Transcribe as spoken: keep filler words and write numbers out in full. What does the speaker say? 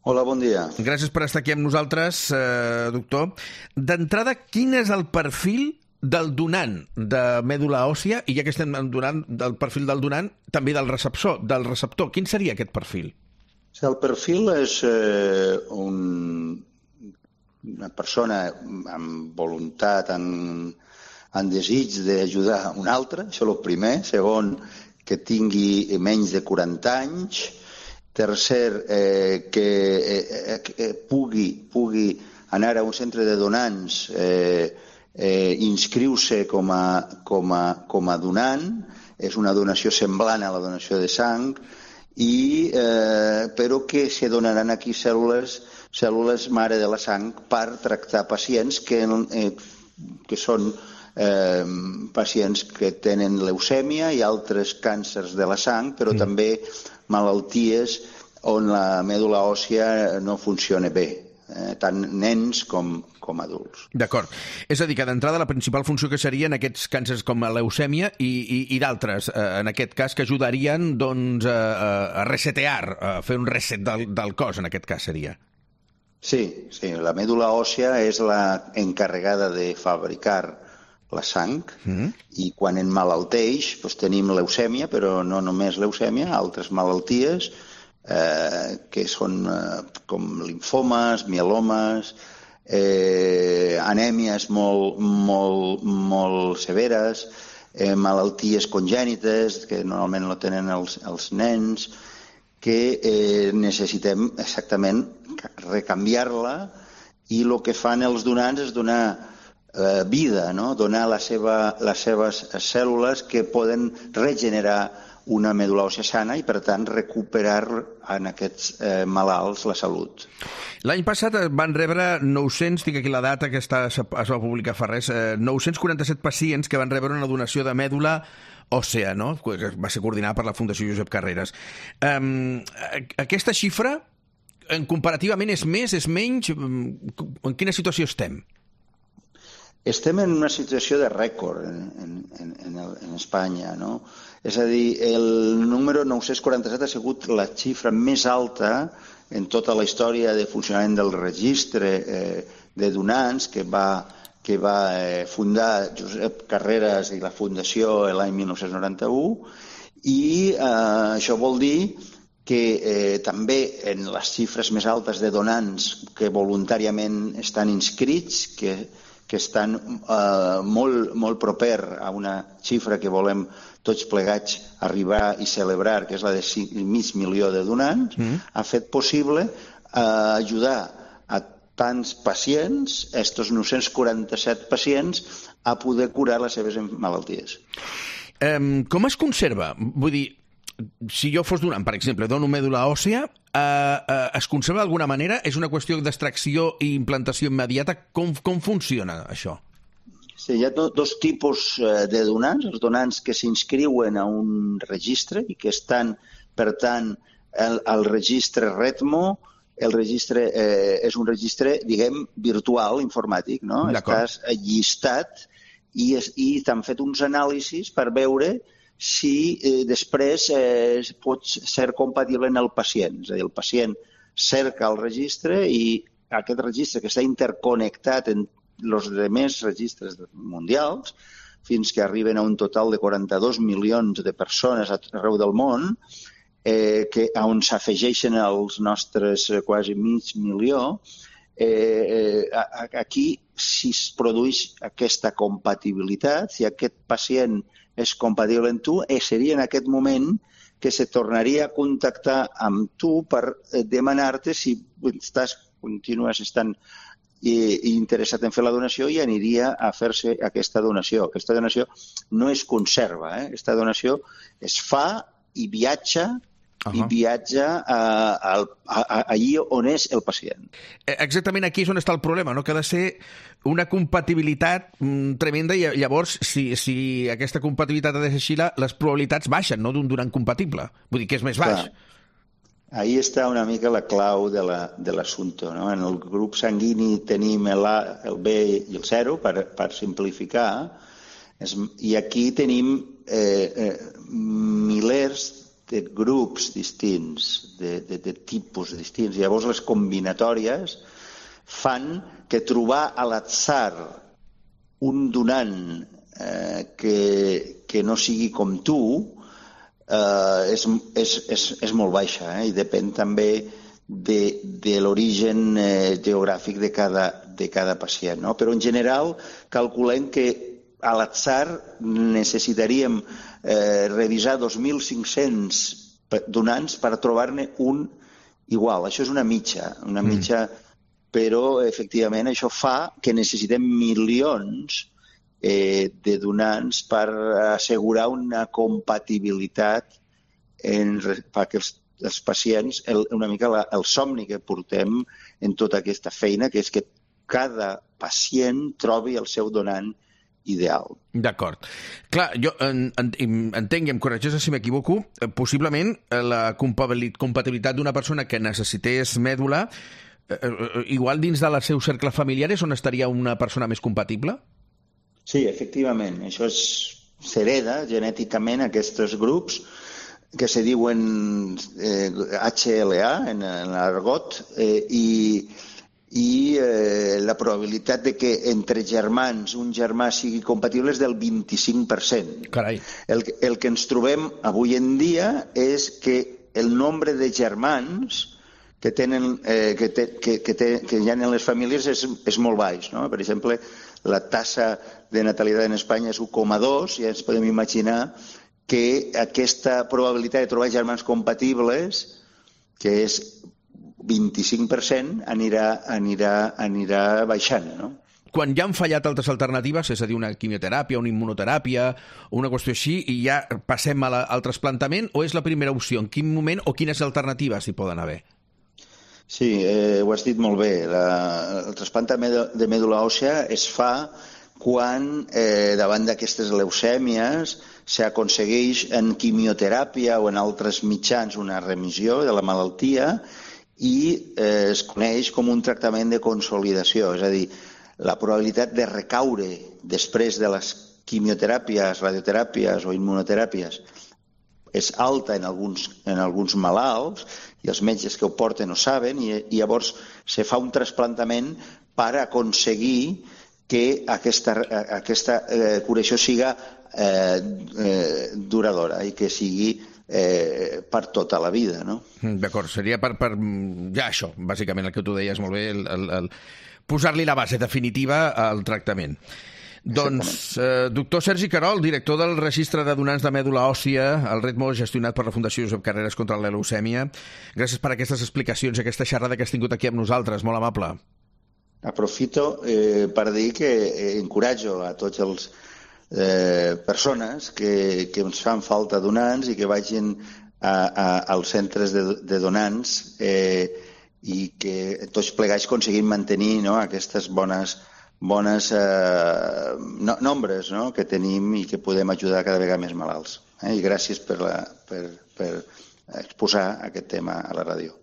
Hola, bon dia. Gràcies per estar aquí amb nosaltres, eh, doctor. D'entrada, quin és el perfil del donant de mèdula òssia, i ja que estem donant del perfil del donant, també del receptor, del receptor. Quin seria aquest perfil? El perfil és eh, un, una persona amb voluntat, amb, amb desig d'ajudar un altre, això és el primer. Segon, que tingui menys de quaranta anys. Tercer, eh, que, eh, que pugui, pugui anar a un centre de donants, eh, eh, inscriu-se com a, com, a, com a donant. És una donació semblant a la donació de sang, i, eh, però que se donaran aquí cèl·lules, cèl·lules mare de la sang per tractar pacients que, eh, que són eh, pacients que tenen leucèmia i altres càncers de la sang, però mm. també malalties on la mèdula òssia no funciona bé, eh, tant nens com, com adults. D'acord. És a dir, que d'entrada la principal funció que serien aquests càncers com la leucèmia i, i, i d'altres, eh, en aquest cas, que ajudarien doncs, a, a resetear, a fer un reset del, del cos, en aquest cas seria. Sí, sí, la mèdula òssia és la encarregada de fabricar la sang, mm-hmm. i quan emmalalteix doncs tenim leucèmia, però no només leucèmia, altres malalties eh, que són eh, com limfomes, mielomes, eh, anèmies molt, molt, molt severes, eh, malalties congènites que normalment no tenen els, els nens, que eh, necessitem exactament recanviar-la, i el que fan els donants és donar Eh, vida, no? Donar la seva, les seves cèl·lules que poden regenerar una mèdula òssia sana i, per tant, recuperar en aquests eh, malalts la salut. L'any passat van rebre nou-cents, tinc aquí la data que està, es va publicar fa res, eh, nou-cents quaranta-set pacients que van rebre una donació de mèdula òssea, no? Que va ser coordinada per la Fundació Josep Carreras. Um, aquesta xifra, en comparativament, és més, és menys? En quina situació estem? Estem en una situació de rècord en, en, en, en Espanya, no? És a dir, el número nou-cents quaranta-set ha sigut la xifra més alta en tota la història de funcionament del registre eh, de donants que va, que va eh, fundar Josep Carreras i la Fundació l'any mil nou-cents noranta-u, i eh, això vol dir que eh, també en les xifres més altes de donants que voluntàriament estan inscrits, que que estan eh, molt, molt proper a una xifra que volem tots plegats arribar i celebrar, que és la de cinc mig milió de donants, mm. ha fet possible eh, ajudar a tants pacients, estos nou-cents quaranta-set pacients, a poder curar les seves malalties. Um, com es conserva? Vull dir, si jo fos donant, per exemple, dono mèdula òssia, eh, eh, es conserva d'alguna manera? És una qüestió d'extracció i implantació immediata? Com, com funciona això? Sí, hi ha do, dos tipus de donants. Els donants que s'inscriuen a un registre i que estan, per tant, al, al registre RETMO. El registre eh, és un registre, diguem, virtual, informàtic, no? Estàs llistat i, es, i t'han fet uns anàlisis per veure si eh, després eh, pot ser compatible en el pacient. És a dir, el pacient cerca el registre i aquest registre, que està interconnectat en els altres registres mundials, fins que arriben a un total de quaranta-dos milions de persones arreu del món, eh, que, on s'afegeixen els nostres quasi mig milió, eh, eh, aquí si es produeix aquesta compatibilitat, si aquest pacient és compatible amb tu, eh, seria en aquest moment que se tornaria a contactar amb tu per eh, demanar-te si estàs, continues estant eh, interessat en fer la donació, i aniria a fer-se aquesta donació. Aquesta donació no es conserva, eh? Aquesta donació es fa i viatja Uh-huh. i viatja a, a, a, a, allí on és el pacient. Exactament aquí és on està el problema, no? Que ha de ser una compatibilitat mm, tremenda, i llavors, si, si aquesta compatibilitat ha de ser així, les probabilitats baixen, no?, d'un donant compatible. Vull dir que és més baix. Clar. Ahí està una mica la clau de l'assumpte, no? En el grup sanguini tenim el A, el B i el zero, per, per simplificar, i aquí tenim eh, eh, milers de grups distints, de, de, de tipus distints. Llavors les combinatòries fan que trobar a l'atzar un donant eh, que, que no sigui com tu eh, és, és, és, és molt baixa, eh? I depèn també de, de l'origen eh, geogràfic de cada, de cada pacient, no? Però en general calculem que a l'atzar necessitaríem eh, revisar dos mil cinc-cents donants per trobar-ne un igual. Això és una mitja, una mitja, mm. però efectivament això fa que necessitem milions eh, de donants per assegurar una compatibilitat en, perquè els, els pacients, el, una mica la, el somni que portem en tota aquesta feina, que és que cada pacient trobi el seu donant ideal. D'acord. Clar, jo en, en, entenc, i em corregeix si m'equivoco, eh, possiblement eh, la compatibilitat d'una persona que necessités mèdula, eh, eh, igual dins del seu cercle familiar és on estaria una persona més compatible? Sí, efectivament. Això és, s'hereda genèticament aquests grups que se diuen eh, H L A en, en l'argot eh, i i eh, la probabilitat de que entre germans un germà sigui compatible és del vint-i-cinc per cent. Carai. El, el que ens trobem avui en dia és que el nombre de germans que, tenen, eh, que, te, que, que, te, que hi ha en les famílies és, és molt baix, no? Per exemple, la tassa de natalitat en Espanya és u coma dos, ja ens podem imaginar que aquesta probabilitat de trobar germans compatibles, que és vint-i-cinc per cent, anirà, anirà, anirà baixant, no? Quan ja han fallat altres alternatives, és a dir, una quimioteràpia, una immunoteràpia, una qüestió així, i ja passem a la, al trasplantament, o és la primera opció? En quin moment o quines alternatives hi poden haver? Sí, eh, ho has dit molt bé. La, el trasplantament de mèdula òssia es fa quan, eh, davant d'aquestes leucèmies, s'aconsegueix en quimioteràpia o en altres mitjans una remissió de la malaltia i eh, es coneix com un tractament de consolidació, és a dir, la probabilitat de recaure després de les quimioteràpies, radioteràpies o immunoteràpies és alta en alguns, en alguns malalts i els metges que ho porten ho saben i, i llavors se fa un trasplantament per aconseguir que aquesta, aquesta eh, curació siga eh, eh, duradora i que sigui Eh, per tota la vida, no? D'acord, seria per, per ja això, bàsicament el que tu deies molt bé, el, el, el posar-li la base definitiva al tractament. Doncs, eh, doctor Sergi Querol, director del Registre de Donants de Mèdula Òssia, el RETMO, gestionat per la Fundació Josep Carreras contra la leucèmia. Gràcies per aquestes explicacions i aquesta xerrada que has tingut aquí amb nosaltres, molt amable. Aprofito eh, per dir que eh, encoratjo a tots els Eh, persones que, que ens fan falta donants i que vagin a, a, als centres de, de donants eh, i que tots plegats aconseguim mantenir, no, aquestes bones, bones eh, no, nombres, no, que tenim i que podem ajudar cada vegada més malalts. Eh? I gràcies per, la, per, per exposar aquest tema a la ràdio.